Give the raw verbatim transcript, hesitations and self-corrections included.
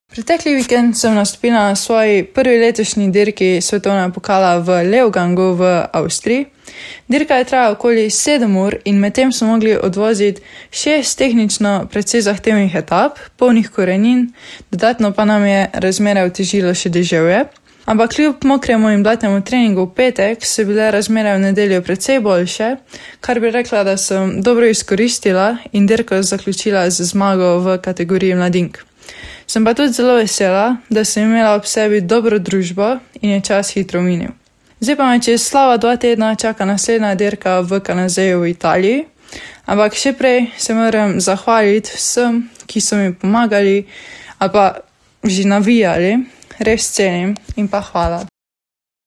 Pretekli vikend sem nastopila na svoji prvi letošnji dirki svetovnega pokala v Leogangu v Avstriji. Dirka je trajala okoli sedem ur in medtem smo mogli odvoziti šest tehnično precej zahtevnih etap, polnih korenin, dodatno pa nam je razmere otežilo še deževje. Ampak kljub mokremu in blatnemu treningu v petek so bile razmere v nedeljo precej boljše, kar bi rekla, da sem dobro izkoristila in dirko zaključila z zmago v kategoriji mladink. Sem pa tudi zelo vesela, da sem imela ob sebi dobro družbo in je čas hitro minil. Zdaj pa me čez slaba dva tedna čaka naslednja dirka v Kanazeju v Italiji, ampak še prej se moram zahvaliti vsem, ki so mi pomagali ali pa že navijali, res cenim in pa hvala.